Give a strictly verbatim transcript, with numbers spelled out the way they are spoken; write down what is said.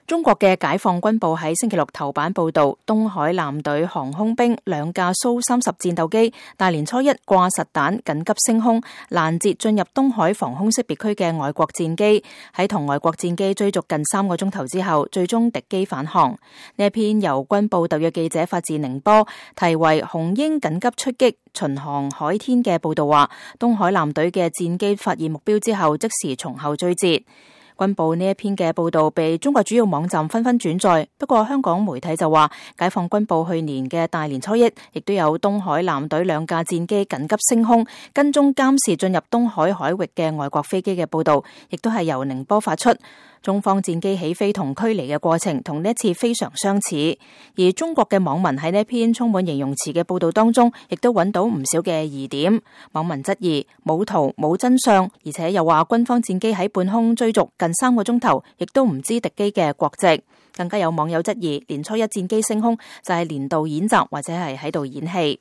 中國嘅解放軍報喺星期六頭版報道，東海艦隊航空兵兩架蘇三十戰鬥機大年初一掛實彈緊急升空，攔截進入東海防空識別區嘅外國戰機，喺同外國戰機追逐近三個鐘頭之後，最終敵機返航。呢一篇由軍報特約記者發自寧波，題為《紅鷹緊急出擊巡航海天》嘅報道話，東海艦隊嘅戰機發現目標之後，即時從後追截。軍報呢一篇嘅報道被中國主要網站紛紛轉載，不過香港媒體就話，解放軍報去年嘅大年初一亦都有東海艦隊兩架戰機緊急升空，跟蹤監視進入東海海域嘅外國飛機嘅報道，亦都係由寧波發出。中方戰機起飛同驅離嘅過程同呢一次非常相似，而中國嘅網民喺呢一篇充滿形容詞嘅報道當中，亦都揾到唔少嘅疑點。網民質疑冇圖冇真相，而且又話軍方戰機喺半空追逐近三個鐘頭，亦都唔知敵機嘅國籍。更加有網友質疑年初一戰機升空就係年度演習或者係喺度演戲。